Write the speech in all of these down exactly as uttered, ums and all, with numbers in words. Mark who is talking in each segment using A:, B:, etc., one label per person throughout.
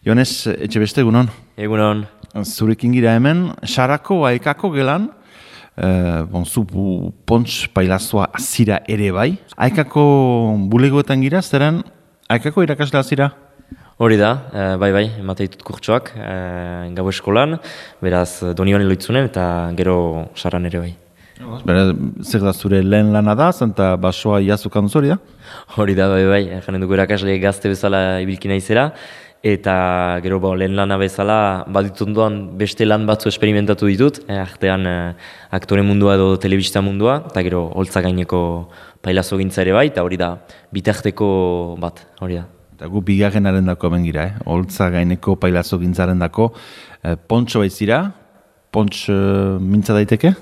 A: Jones, etxe beste egunon?
B: Egunon.
A: Zurekin gira hemen, Sarako Aekako gelan, eh, bon, zu pontx pailazoa azira ere bai. Aekako bulegoetan gira, zeren Aekako irakaslea zira?
B: Hori da, eh, bai bai, emate ditut kurtsoak, eh, gau eskolan, beraz Donibane Loitzunen eta gero Saran ere bai.
A: Beraz, zer da zure lehen lana da, zenta basoa iazukan zori da?
B: Hori da, bai bai, janen dugu irakasle gazte bezala ibilki naizela, eta gero ba, lehen lana bezala baditunduan beste lan batzu esperimentatu ditut, eh, artean eh, aktore mundua edo telebista mundua, eta gero holtza gaineko pailazo gintza ere bai, eta hori da, bitarteko bat, hori da.
A: Eta gu bigarrenaren dako hemen gira, eh? Holtza gaineko pailazo gintzaren dako, eh, pontxo baizira, pontx eh, mintza daiteke?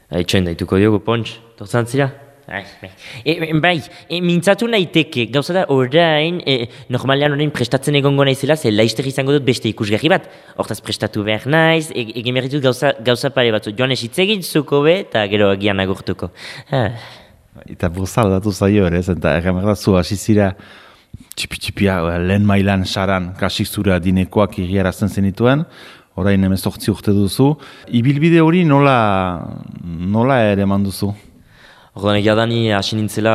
B: Itxoin daituko diogu, pontx, torzan zira?
C: E, bai, e, mintzatu naiteke, gauza da orain, e, normalean orain prestatzen egongo naizela, ze laizter izango dut beste ikusgarri bat. Hortaz prestatu behar naiz, e, egin behar ditut gauza, gauza pare batzu. Joan esitzegin zuko be, eta gero agian agurtuko. Ah.
A: Eta burza aldatu zaio ere, eta erremerda zu hasi zira txipi-txipia lehen mailan Saran kasik zura dinekoak igiarazten zenituen, orain hemezortzi urte duzu. Ibilbide hori nola, nola ere manduzu?
B: Orduan egia da ni hasi nintzela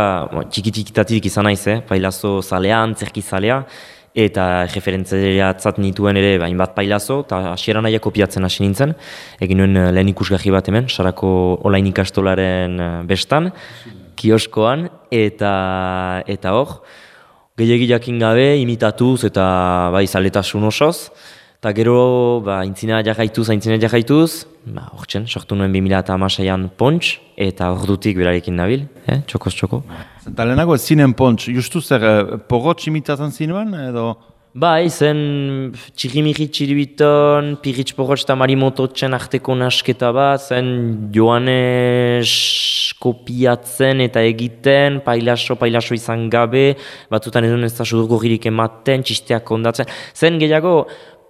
B: txiki-txikitatik izan naiz, eh? Pailazo zalea, antzerki zalea, eta referentziatzat nituen ere hainbat pailazo, eta hasiera nahiak kopiatzen hasi nintzen. Egin nuen lehen ikusgarri bat hemen, Sarako olain ikastolaren bestan, kioskoan, eta eta hor, gehiagi jakin gabe, imitatuz eta bai zaletasun osoz, eta gero, ba, intzina jarraituz, intzina jarraituz, ba, hortzen, sortu nuen bi mila hamaseian pontx, eta ordutik berarekin nabil, eh? Txokoz txoko.
A: Eta lehenago ez zinen pontx, justu zer, eh, porrotx imitatzen zinuen, edo?
B: Bai, zen txirrimiri txiribiton, piritx porrotx eta marimototzen arteko nasketa bat, zen Joanes kopiatzen eta egiten, pailaso, pailaso izan gabe, batzutan edo ez da sudurgorririk ematen, txisteak ondatzen, zen gehiago,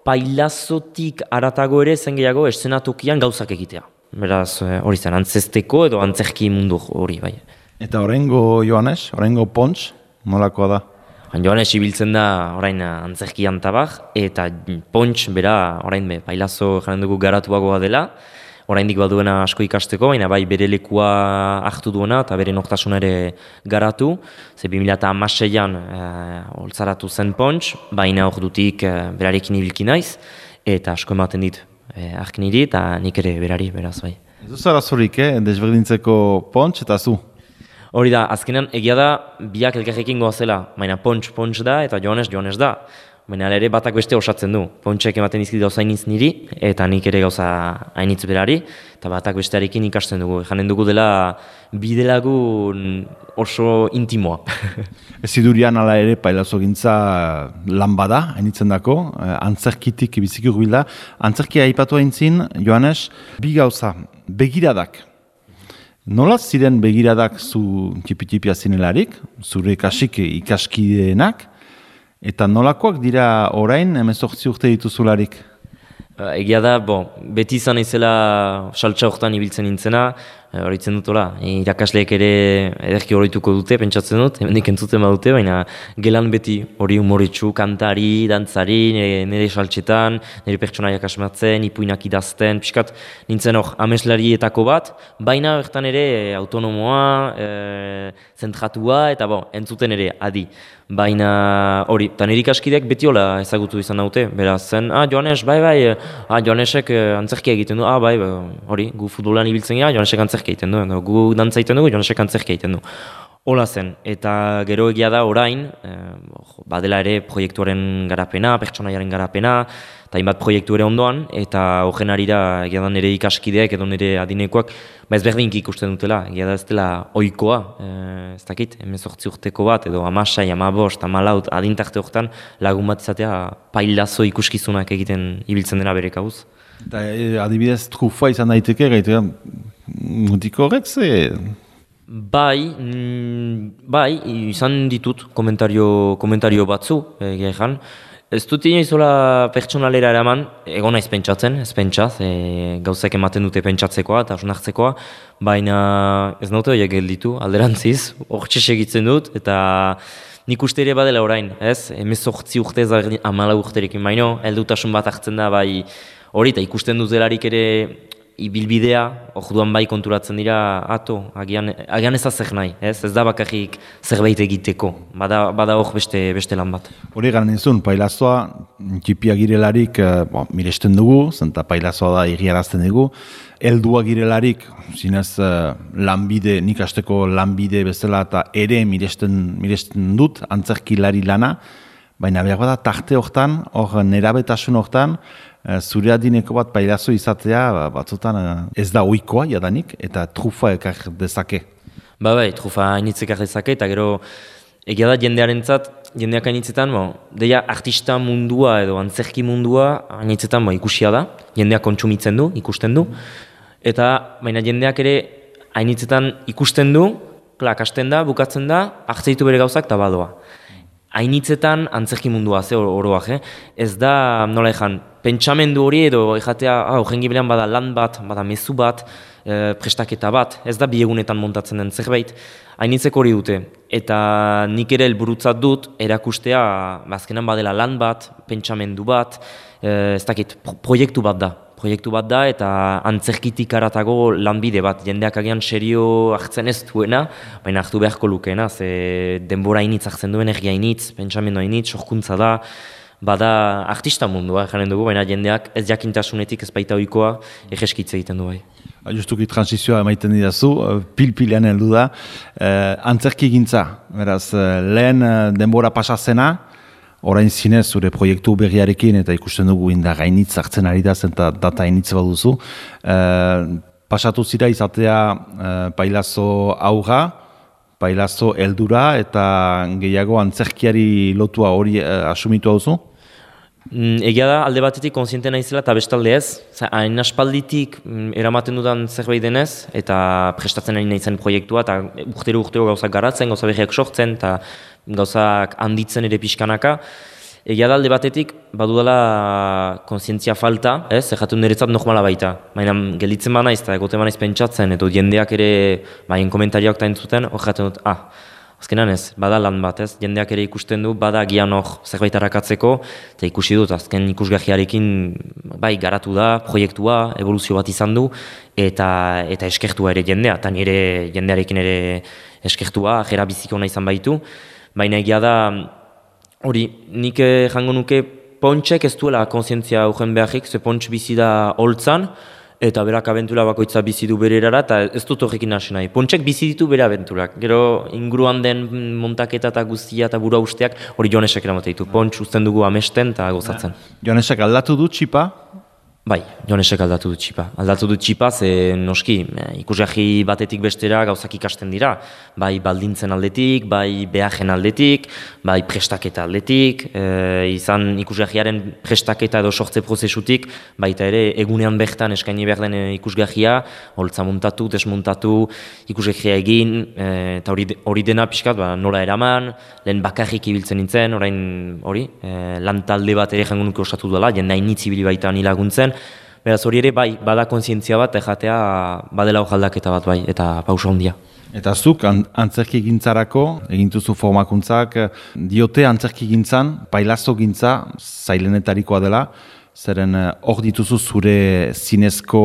B: pailazotik aratago ere zen gehiago eszenatokian gauzak egitea. Beraz, hori zen, antzesteko edo antzerki mundu hori, bai.
A: Eta oraingo Joanes, oraingo pontx, nolakoa da?
B: Joanes ibiltzen da orain antzerkian tabar, eta pontx bera orain be, pailazo jaren dugu garatuagoa dela, oraindik baduena asko ikasteko, baina bai bere lekua hartu duena eta bere nortasuna ere garatu. Ze bi mila hamaseian eh, holtzaratu zen pontx, baina ordutik eh, berarekin ibilki naiz, eta asko ematen dit eh, ark niri eta nik ere berari, beraz bai.
A: Ez duz arazorik, eh? Desberdintzeko pontx eta zu?
B: Hori da, azkenan egia da biak elkarrekin goazela, baina pontx pontx da eta Joanes Joanes da. Baina ere batak beste osatzen du. Pontxek ematen dizkit gauza hainitz niri, eta nik ere gauza hainitz berari, eta batak bestearekin ikasten dugu. Janen dugu dela bidelagun oso intimoa.
A: Ez idurian ala ere pailazo gintza lan bada, hainitzen dako, antzerkitik biziki urbilda. Antzerkia aipatu haintzin, Joanes, bi gauza, begiradak. Nola ziren begiradak zu txipi-txipia zinelarik, zure kasik ikaskideenak, eta nolakoak dira orain hemezortzi urte dituzularik?
B: Egia da, bo, beti izan izela saltsa hortan ibiltzen nintzena, horitzen dutola, irakasleek ere ederki horituko dute, pentsatzen dut, hemendik entzuten badute, baina gelan beti hori humoretsu, kantari, dantzari, nire saltsetan, nire pertsonaiak asmatzen, ipuinak idazten, pixkat nintzen hor ameslarietako bat, baina bertan ere autonomoa, e, zentratua, eta bo, entzuten ere adi. Baina hori, eta nire ikaskideak beti hola ezagutu izan daute, beraz zen, ah, Joanes, bai, bai, ah, Joanesek antzerkia egiten du, ah, bai, hori, gu futbolan ibiltzen gara, Joanesek antzerkia egiten du, gu dantza egiten dugu, Joanesek antzerkia egiten du. Hola zen, eta gero egia da orain, eh, badela ere proiektuaren garapena, pertsonaiaren garapena, eta hainbat proiektu ere ondoan, eta horren arira egia da nire ikaskideak edo nire adinekoak, ba ez berdinki ikusten dutela, egia da ez dela ohikoa, eh, ez dakit, hemezortzi urteko bat, edo hamasei, hamabost, hamalaut, adintarte horretan lagun bat izatea pailazo ikuskizunak egiten ibiltzen dena bere kabuz.
A: Eta adibidez trufa izan daiteke, gaitu mutiko horrek ze...
B: Bai, mm, bai, izan ditut komentario, komentario batzu, egia ezan. Ez dut inoizola pertsonalera eraman, egon naiz pentsatzen, ez pentsaz, e, gauzak ematen dute pentsatzekoa eta osnartzekoa, baina ez naute horiek gelditu, alderantziz, hortxe segitzen dut, eta nik uste ere badela orain, ez? Hemezortzi urte ez da hamala urterekin baino, heldutasun bat hartzen da bai hori, eta ikusten dut delarik ere ibilbidea, orduan bai konturatzen dira, ato, agian, agian ez azek nahi, ez? Ez da bakarrik zerbait egiteko, bada, bada hor beste, beste lan bat.
A: Hori garen izun, pailazoa, txipia girelarik, eh, bo, miresten dugu, zenta pailazoa da egiarazten dugu, heldua girelarik, zinez eh, lanbide, nik asteko lanbide bezala eta ere miresten, miresten dut, antzerkilari lana, baina behar da tarte hortan, hor nerabetasun hortan, zure adineko bat pailazo izatea batzutan ez da ohikoa jadanik eta trufa ekar dezake.
B: Ba bai, trufa hainitz ekar dezake eta gero egia da jendearentzat, jendeak hainitzetan, bo, deia artista mundua edo antzerki mundua hainitzetan bo, ikusia da, jendeak kontsumitzen du, ikusten du, eta baina jendeak ere hainitzetan ikusten du, klak hasten da, bukatzen da, hartzeitu bere gauzak eta badoa. Hainitzetan antzerki mundua, ze oroak, eh? Ez da, nola ezan, pentsamendu hori edo ejatea, ah, jengi berean bada lan bat, bada mezu bat, e, prestaketa bat, ez da bi egunetan montatzen den zerbait, hainitzeko hori dute. Eta nik ere helburutzat dut, erakustea, bazkenan badela lan bat, pentsamendu bat, e, ez dakit, pro proiektu bat da. Proiektu bat da eta antzerkitik aratago lanbide bat, jendeak agian serio hartzen ez duena, baina hartu beharko lukeena, ze denbora hainitz hartzen duen, ergia hainitz, pentsamendu hainitz, sorkuntza da, bada artista mundua, janen dugu, baina jendeak ez jakintasunetik ez baita ohikoa egeskitze egiten du bai.
A: Justuki transizioa emaiten didazu, pil-pilean heldu da, eh, antzerki gintza, beraz, lehen denbora pasazena, orain zinez zure proiektu berriarekin eta ikusten dugu inda gainitz hartzen ari da zen eta data hainitz baduzu. E, pasatu zira izatea e, pailazo aurra, pailazo heldura eta gehiago antzerkiari lotua hori e, asumitu hauzu?
B: Mm, egia da, alde batetik kontziente naizela eta bestalde ez. Hain aspalditik mm, eramaten dudan zerbait denez eta prestatzen ari naizen proiektua eta urtero-urtero gauzak garatzen, gauza berriak sortzen eta gauzak handitzen ere pixkanaka. Egia da alde batetik, badudala kontzientzia falta, ez, erratu niretzat normala baita. Baina gelditzen ba naiz eta egote ba naiz pentsatzen, edo jendeak ere, baina komentarioak eta entzuten, hor jaten dut, ah, azkenan ez, bada lan bat, ez, jendeak ere ikusten du, bada gian hor zerbait harakatzeko, eta ikusi dut, azken ikusgahiarekin, bai, garatu da, proiektua, evoluzio bat izan du, eta, eta eskertua ere jendea, eta nire jendearekin ere eskertua, jera biziko nahi izan baitu. Baina egia da, hori, nik jango nuke Pontxek ez duela kontzientzia ugen beharrik, ze Pontx bizi da holtzan, eta berak abentura bakoitza bizi du bere erara, eta ez dut horrekin hasi nahi. Pontxek bizi ditu bere abenturak. Gero inguruan den montaketa eta guztia eta burua usteak, hori Joanesek eramate ditu. Pontx uzten dugu amesten eta gozatzen.
A: Joanesek aldatu du txipa?
B: Bai, Joanesek aldatu du txipa. Aldatu du txipa, ze noski, ikusgahi batetik bestera gauzak ikasten dira. Bai baldintzen aldetik, bai behajen aldetik, bai prestaketa aldetik, e, izan ikusgahiaren prestaketa edo sortze prozesutik, baita ere egunean bertan eskaini behar den ikusgahia, holtza montatu, desmontatu, ikusgahia egin, e, eta hori, hori dena pixkat, ba, nola eraman, lehen bakarrik ibiltzen nintzen, orain hori, e, lan talde bat ere jango nuke osatu dela, jende hainitz ibili baita ni laguntzen. Beraz hori ere bai, bada kontzientzia bat, jatea badela hojaldaketa bat bai, eta pausa handia.
A: Eta zuk antzerki gintzarako, egintuzu formakuntzak, diote antzerki gintzan, pailazo gintza, zailenetarikoa dela, zeren hor dituzu zure zinezko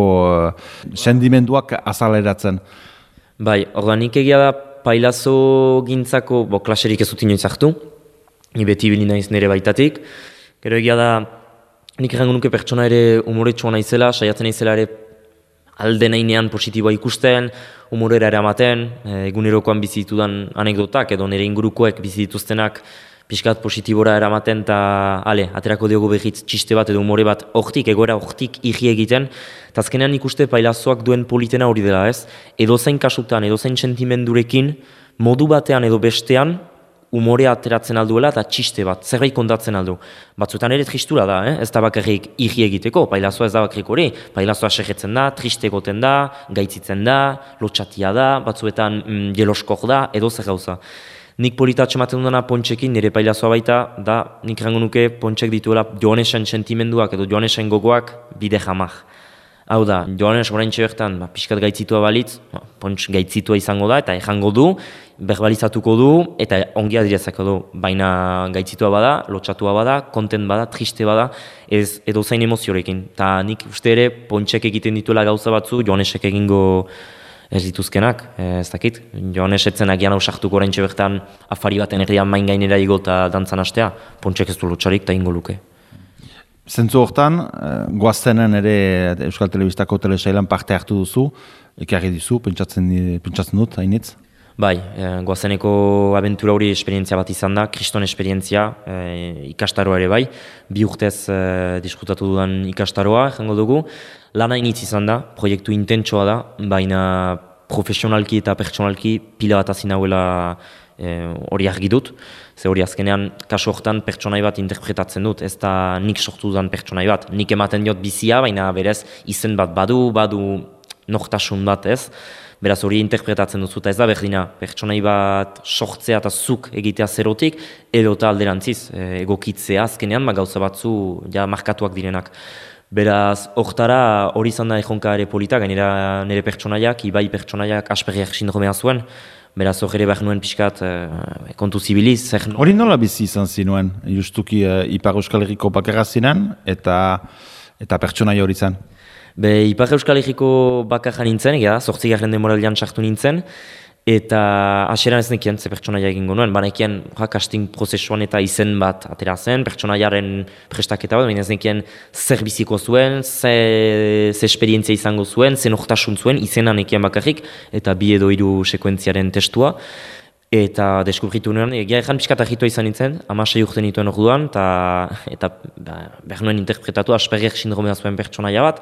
A: sendimenduak azaleratzen.
B: Bai, ordanik egia da pailazo gintzako, bo, klaserik ez dut inoiz hartu, ni beti bili naiz nire baitatik, gero egia da, nik errango nuke pertsona ere umoretsua naizela, saiatzen naizela ere alde nahinean positiboa ikusten, umorera eramaten, egunerokoan bizi ditudan anekdotak edo nire ingurukoek bizi dituztenak pixkat positibora eramaten eta ale, aterako diogu behitz txiste bat edo umore bat hortik, egoera hortik igi egiten, eta azkenean ikuste pailazoak duen politena hori dela ez, edozein kasutan, edozein sentimendurekin, modu batean edo bestean, umorea ateratzen alduela eta txiste bat, zerbait kontatzen aldu. Batzuetan ere tristura da, eh? Ez da bakarrik igi egiteko, pailazoa ez da bakarrik hori, pailazoa segetzen da, triste egoten da, gaitzitzen da, lotxatia da, batzuetan mm, jeloskor da, edo zer gauza. Nik politatxe ematen dudana Pontxekin, nire pailazoa baita, da nik rango nuke Pontxek dituela Joanesen sentimenduak edo Joanesen gogoak bide jamak.
C: Hau da, Joanes oraintxe bertan, ba, pixkat gaitzitua balitz, ba, pontx gaitzitua izango da, eta ejango du, berbalizatuko du, eta ongi adirazako du. Baina gaitzitua bada, lotxatua bada, kontent bada, triste bada, ez edo zain emoziorekin. Ta nik uste ere, pontxek egiten dituela gauza batzu, Joanesek egingo ez dituzkenak, ez dakit. Joanes etzen agian ausartuko oraintxe bertan, afari baten erdian main gainera igo eta dantzan hastea, pontxek ez du lotxarik, eta ingo luke.
A: Zentzu hortan, goaztenen ere Euskal Telebistako telesailan parte hartu duzu, ekarri dizu, pentsatzen, pentsatzen dut, hainitz?
C: Bai, e, goazeneko abentura hori esperientzia bat izan da, kriston esperientzia, e, ikastaroa ere bai, bi urtez e, diskutatu dudan ikastaroa, jango dugu. Lana initz izan da, proiektu intentsoa da, baina profesionalki eta pertsonalki pila bat azin hauela hori e, argi dut. Ze hori azkenean, kasu hortan pertsonai bat interpretatzen dut, ez da nik sortu dudan pertsonai bat. Nik ematen diot bizia, baina berez izen bat badu, badu nortasun bat ez. Beraz hori interpretatzen duzu, eta ez da berdina, pertsonai bat sortzea eta zuk egitea zerotik, edo eta alderantziz, egokitzea azkenean, ma gauza batzu ja markatuak direnak. Beraz, hortara hori izan da ejonka ere polita, gainera nire pertsonaiak, ibai pertsonaiak asperriak sindromea zuen, beraz hor ere behar nuen pixkat e, kontu zibiliz.
A: Hori nola bizi izan zinuen, justuki e, Ipar Euskal Herriko bakarra zinen, eta, eta pertsonaia hori zen?
C: Be, Ipar Euskal Herriko bakarra nintzen, egia da, zortzigarren demoraldean sartu nintzen, eta hasieran ez nekien ze pertsonaia egingo nuen, banekien ja, casting prozesuan eta izen bat atera zen, pertsonaiaren prestaketa bat, baina ez nekien zer biziko zuen, ze, ze esperientzia izango zuen, ze nortasun zuen, izena nekien bakarrik, eta bi edo hiru sekuentziaren testua. Eta deskubritu nuen, egia ezan pixkat ahitua izan nintzen, hamasei urte nituen orduan, eta, eta ba, behar nuen interpretatu Asperger sindromea zuen pertsonaia bat,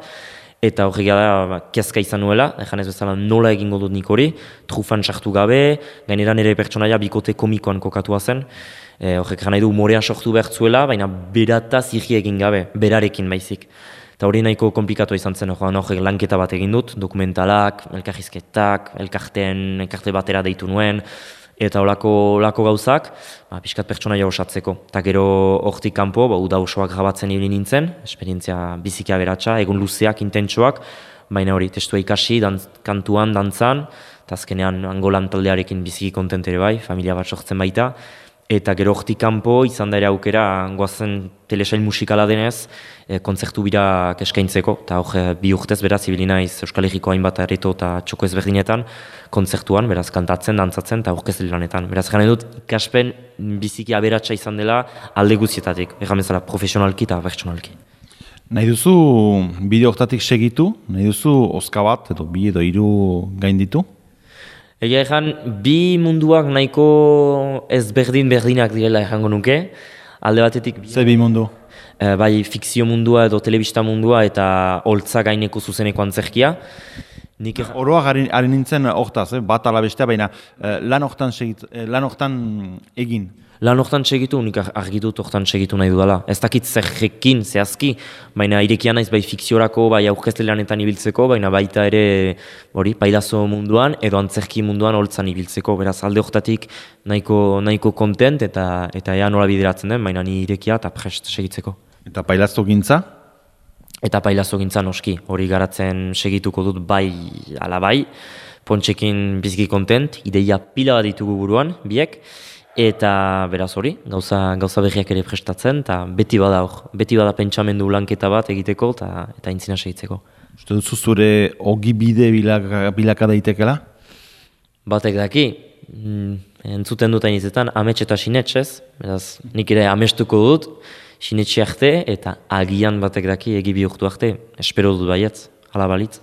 C: eta horrega da, ba, kezka izan nuela, ezan ez bezala nola egingo dut nik hori, trufan sartu gabe, gainera nire pertsonaia bikote komikoan kokatua zen, e, horrek nahi du humorea sortu behar zuela, baina berataz irri egin gabe, berarekin baizik. Eta hori nahiko komplikatu izan zen, horrek lanketa bat egin dut, dokumentalak, elkarrizketak, elkarteen, elkarte batera deitu nuen, eta olako, olako gauzak, ba, pixkat pertsonaia osatzeko. Eta gero hortik kanpo, ba, uda osoak grabatzen ibili nintzen, esperientzia biziki aberatsa, egun luzeak, intentsoak, baina hori, testua ikasi, dantz, kantuan, dantzan, eta azkenean Angolan taldearekin biziki kontent ere bai, familia bat sortzen baita, eta gero hortik kanpo izan da ere aukera, goazen telesail musikala denez, e, kontzertu birak eskaintzeko, eta hor bi urtez beraz, ibili naiz Euskal Herriko hainbat areto eta txoko ezberdinetan, kontzertuan, beraz kantatzen, dantzatzen eta aurkezle lanetan. Beraz gane dut, ikaspen biziki aberatsa izan dela alde guztietatik, egan bezala profesionalki eta pertsonalki.
A: Nahi duzu bideo hortatik segitu, nahi duzu oska bat edo bi edo hiru gainditu?
C: Egia ezan, bi munduak nahiko ezberdin berdinak direla ejango nuke, alde batetik...
A: Ze bi mundu?
C: E, bai fikzio mundua edo telebista mundua eta holtza gaineko zuzeneko antzerkia. Nik er...
A: Oroa gari nintzen hortaz, eh? Bat ala bestea, baina eh, lan hortan segit, eh, lan hortan egin.
C: Lan hortan segitu, nik argi dut hortan segitu nahi dudala. Ez dakit zerrekin, zehazki, baina irekia naiz bai fikziorako, bai aurkezle lanetan ibiltzeko, baina baita ere hori pailazo munduan edo antzerki munduan holtzan ibiltzeko. Beraz alde hortatik nahiko, nahiko kontent eta eta ea nola bideratzen den, baina ni irekia eta prest segitzeko.
A: Eta pailazo gintza?
C: Eta pailazo gintza noski, hori garatzen segituko dut bai ala bai, Pontxekin biziki kontent, ideia pila bat ditugu buruan, biek, eta beraz hori, gauza, gauza berriak ere prestatzen, eta beti bada hor, beti bada pentsamendu lanketa bat egiteko eta eta intzina segitzeko.
A: Uste duzu zure ogibide bilaka, bilaka daitekela?
C: Batek daki, mm, entzuten dut hainizetan, amets eta sinetsez, beraz nik ere amestuko dut, sinetxe arte eta agian batek daki egi bihurtu arte, espero dut baietz, hala balitz.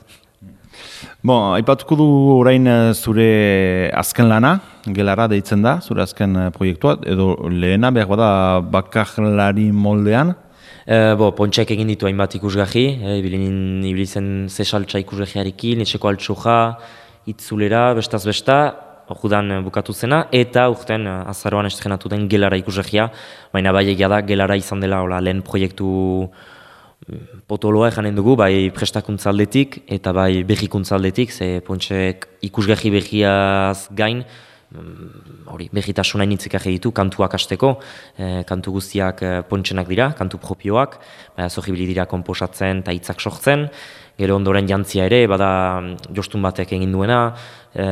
A: Bon, aipatuko du orain zure azken lana, gelara deitzen da, zure azken proiektua, edo lehena behar bada bakarlari moldean?
C: E, bo, Pontxek egin ditu hainbat ikusgahi, e, ibili zen zesaltza ikusgahiarekin, etxeko altxoja, itzulera, bestaz besta, orduan bukatu zena, eta urten azaroan estrenatu den gelara ikusgahia, baina bai egia da gelara izan dela ola, lehen proiektu potoloa eganen dugu, bai prestakuntzaldetik eta bai berrikuntzaldetik, ze Pontxek ikusgahi berriaz gain,
B: hori, berritasuna initzik egi ditu, kantuak hasteko, e, kantu guztiak e, pontsenak dira, kantu propioak, bada zorribili dira komposatzen eta hitzak sortzen, gero ondoren jantzia ere, bada jostun batek egin duena, e,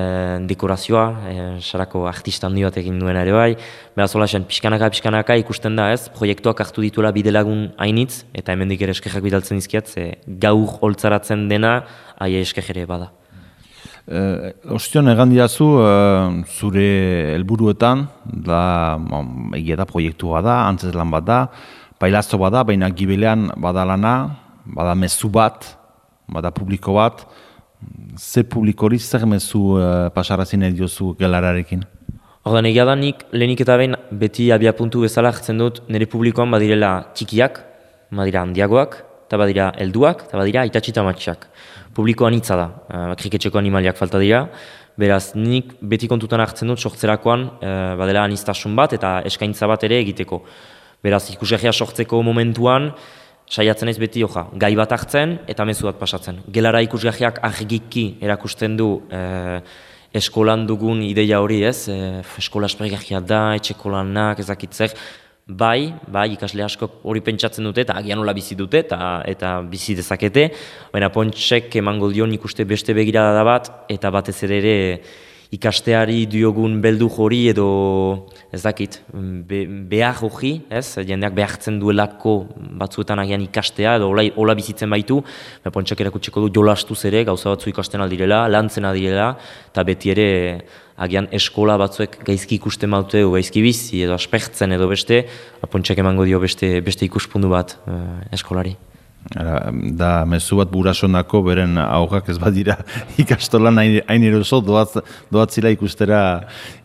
B: dekorazioa, e, sarako artista handi bat egin duena ere bai, bera zola zen, pixkanaka, pixkanaka ikusten da ez, proiektuak hartu dituela bidelagun hainitz, eta hemendik ere eskerrak bidaltzen dizkiat, ze gaur holtzaratzen dena, aie esker ere bada.
A: Uh, Ostion, egan diazu, uh, zure helburuetan, da, um, egia da proiektua da, antzez lan bat da, pailazto bat da, baina gibelean bada lana, bada mezu bat, bada publiko bat, ze publikori zer mezu uh, pasarazin ediozu gelararekin?
B: Ordan egia da nik lehenik eta behin beti abia puntu bezala hartzen dut nire publikoan badirela txikiak, badira handiagoak, eta badira helduak, eta badira aitatxi eta matxak. Publikoan hitza da, uh, kriketxeko animaliak falta dira, beraz nik beti kontutan hartzen dut sortzerakoan uh, badela anistasun bat eta eskaintza bat ere egiteko. Beraz ikusgarria sortzeko momentuan, saiatzen ez beti oja, gai bat hartzen eta mezu bat pasatzen. Gelara ikusgarriak argiki erakusten du uh, eskolan dugun ideia hori ez, uh, eskola espregarria da, etxeko lanak, ezakitzer, Bai, bai, ikasle asko hori pentsatzen dute eta agian hola bizi dute eta, eta bizi dezakete, baina Pontxek emango dio nik uste beste begirada da bat eta batez ere ere ikasteari diogun beldu hori edo ez dakit, be, behar hori, ez, jendeak behartzen duelako batzuetan agian ikastea edo hola, hola bizitzen baitu, baina Pontxek erakutsiko du jolastuz ere gauza batzu ikasten aldirela, lantzen aldirela eta beti ere agian eskola batzuek gaizki ikusten maute edo gaizki bizi edo aspertzen edo beste, Pontxek emango dio beste, beste ikuspundu bat uh, eskolari.
A: Ara, da mezu bat burasonako beren aurrak ez badira ikastolan hain eroso doaz, doatzila ikustera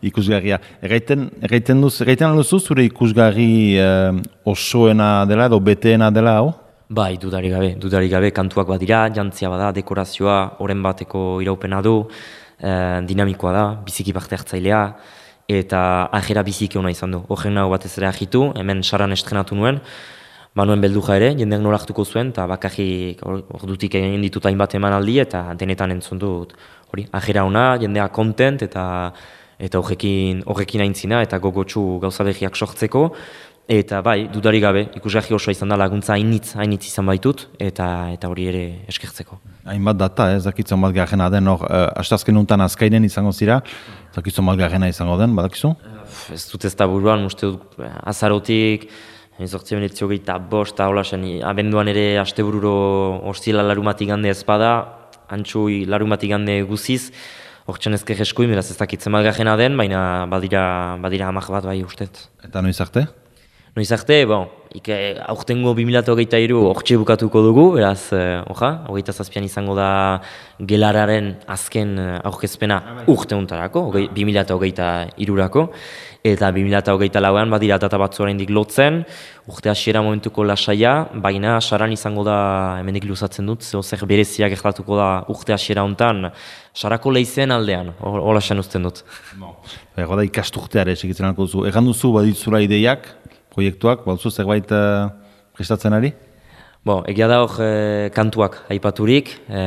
A: ikusgarria. Erraiten, erraiten duz, erraiten alduzu zure ikusgarri eh, osoena dela edo beteena dela hau?
B: Bai, dudarik gabe, dudarik gabe kantuak badira, jantzia bada, dekorazioa, oren bateko iraupena du, eh, dinamikoa da, biziki parte hartzailea, eta ajera biziki ona izan du. Horren nago batez ere ahitu, hemen saran estrenatu nuen, Manuen belduja ere, jendeak nola hartuko zuen, eta bakarri ordutik egin ditut hainbat emanaldi eta denetan entzun dut hori, ajera ona, jendea kontent eta eta horrekin horrekin aintzina eta gogotsu gauza berriak sortzeko. Eta bai, dudarik gabe, ikusgarri osoa izan da laguntza hainitz, hainitz izan baitut, eta eta hori ere eskertzeko.
A: Hainbat data, ez dakitzen bat garrena den, hor, uh, astazken untan azkainen izango zira, dakitzen bat garrena izango den, badakizu?
B: Ez dut ez da buruan, uste dut azarotik, Zortzi benetzi hogeita bost, hola zen, abenduan ere astebururo ostila larumatik gande ezpada, antxui larumatik gande guziz, hortzen ezker eskuin, beraz ez dakitzen bat gajena den, baina badira, badira hamak bat bai ustet.
A: Eta noiz arte?
B: Noiz arte, bon, ike, aurtengo bi mila hogeita hiru hortxe bukatuko dugu, beraz, eh, oja, hogeita zazpian izango da gelararen azken aurkezpena urte untarako, bi mila hogeita hirurako, eta bi mila hogeita lauan badira data batzu oraindik lotzen, urte hasiera momentuko lasaia, baina saran izango da, hemendik luzatzen dut, zeo zer bereziak gertatuko da urte hasiera hontan, sarako leizen aldean, hola esan uzten dut.
A: Ego da ikasturteare segitzen alko duzu, egan duzu baditzula ideiak, proiektuak, baduzu zerbait uh, prestatzen ari?
B: Bo, egia da hor e, kantuak aipaturik, e,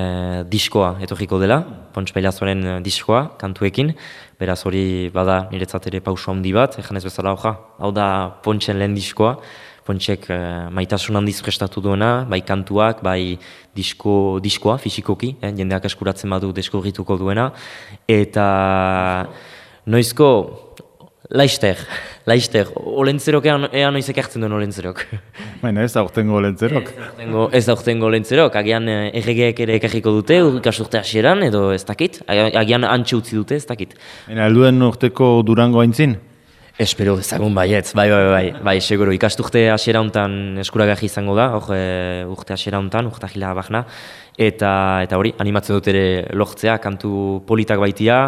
B: diskoa etorriko dela, Pontx Pailazoaren diskoa, kantuekin, beraz hori bada niretzat ere pauso handi bat, egan ez bezala hoja, hau da Pontxen lehen diskoa, Pontxek e, maitasun handiz prestatu duena, bai kantuak, bai disko, diskoa, fisikoki, eh, jendeak eskuratzen badu deskubrituko duena, eta noizko, Laister, laister, olentzerok ean, ean noizek hartzen duen olentzerok.
A: Baina ez aurtengo olentzerok.
B: Ez aurtengo olentzerok, agian erregeek ere ekarriko dute, ikasturte hasieran edo ez dakit, agian antxe utzi dute ez dakit.
A: Baina helduen urteko Durango aintzin?
B: Espero dezagun baietz, bai, bai, bai, bai, seguro, ikasturte hasiera hontan eskuragarri izango da, hor urte hasiera hontan, urte ahila bakna, eta, eta hori, animatzen dut ere lortzea, kantu politak baitia,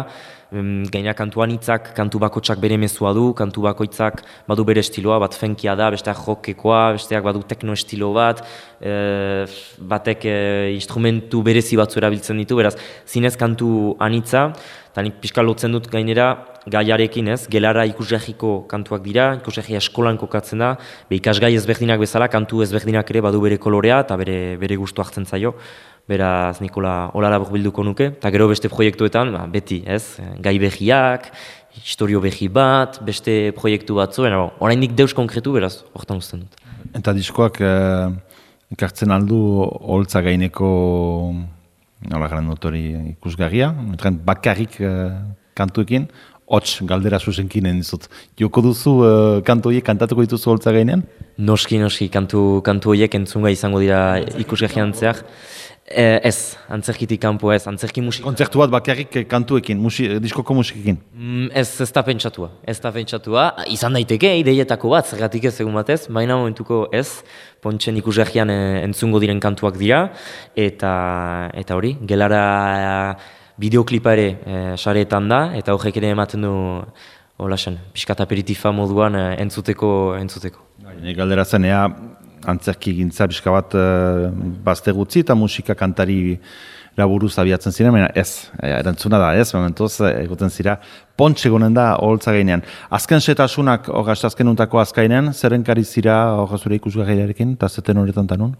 B: gaina kantuan hitzak, kantu bakotsak bere mezua du, kantu bakoitzak badu bere estiloa, bat funkia da, besteak jokekoa, besteak badu tekno estilo bat, e, batek e, instrumentu berezi batzu erabiltzen ditu, beraz, zinez kantu anitza, eta nik pixka lotzen dut gainera, gaiarekin ez, gelara ikusgahiko kantuak dira, ikusgahia eskolan kokatzen da, be ikasgai ezberdinak bezala, kantu ezberdinak ere badu bere kolorea eta bere, bere gustu hartzen zaio. Beraz, Nikola hola labur bilduko nuke, eta gero beste proiektuetan, ba, beti, ez, gai behiak, historio behi bat, beste proiektu batzu, baina bon, oraindik deus konkretu beraz, hortan uzten dut.
A: Eta diskoak eh, ekartzen aldu holtza gaineko nola garen dut hori ikusgarria, bakarrik eh, kantuekin, hots galdera zuzenkinen dizut. Joko duzu eh, kantu horiek kantatuko dituzu holtza gainean?
B: Noski, noski, kantu, kantu horiek entzunga izango dira ikusgarrian antzeak. Eh, ez, antzerkitik kanpo ez, antzerki musika.
A: Kontzertu bat bakarrik kantuekin, musi, diskoko musikekin?
B: Mm, ez, ez da pentsatua, ez da pentsatua. Izan daiteke, ideietako bat, zergatik ez egun batez, baina momentuko ez, Pontxen ikusgarrian eh, entzungo diren kantuak dira, eta eta hori, gelara bideoklipa ere eh, sareetan da, eta horrek ere ematen du, hola zen, pixkat aperitifa moduan eh, entzuteko, entzuteko.
A: Nik galdera zen, ea, antzerki gintza pixka bat uh, bazte gutzi eta musika kantari laburuz abiatzen ziren, baina ez, erantzuna da ez, momentuz egoten zira, Pontxe gonen da holtza gainean. Azken setasunak, hogaz, azken untako azkainean, zerrenkari zira hogaz zure ikusgarriarekin, eta zeten horretan tanun?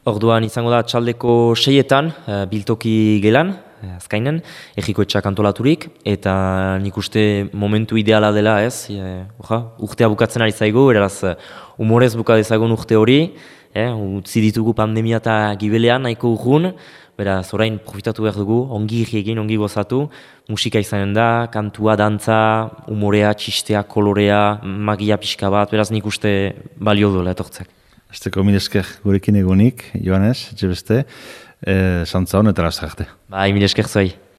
B: Orduan izango da txaldeko seietan, uh, biltoki gelan, azkainen, egiko etxak antolaturik, eta nik uste momentu ideala dela ez, e, oja, urtea bukatzen ari zaigu, eraz humorez buka dezagun urte hori, e, utzi ditugu pandemia eta gibelean nahiko urgun, beraz orain profitatu behar dugu, ongi egin, ongi gozatu, musika izanen da, kantua, dantza, humorea, txistea, kolorea, magia pixka bat, beraz nik uste balio duela etortzak.
A: Azteko mil esker gurekin egunik, Joanes, etxe beste, e, santza hon eta lasarte.
B: Bai, mil esker zuai.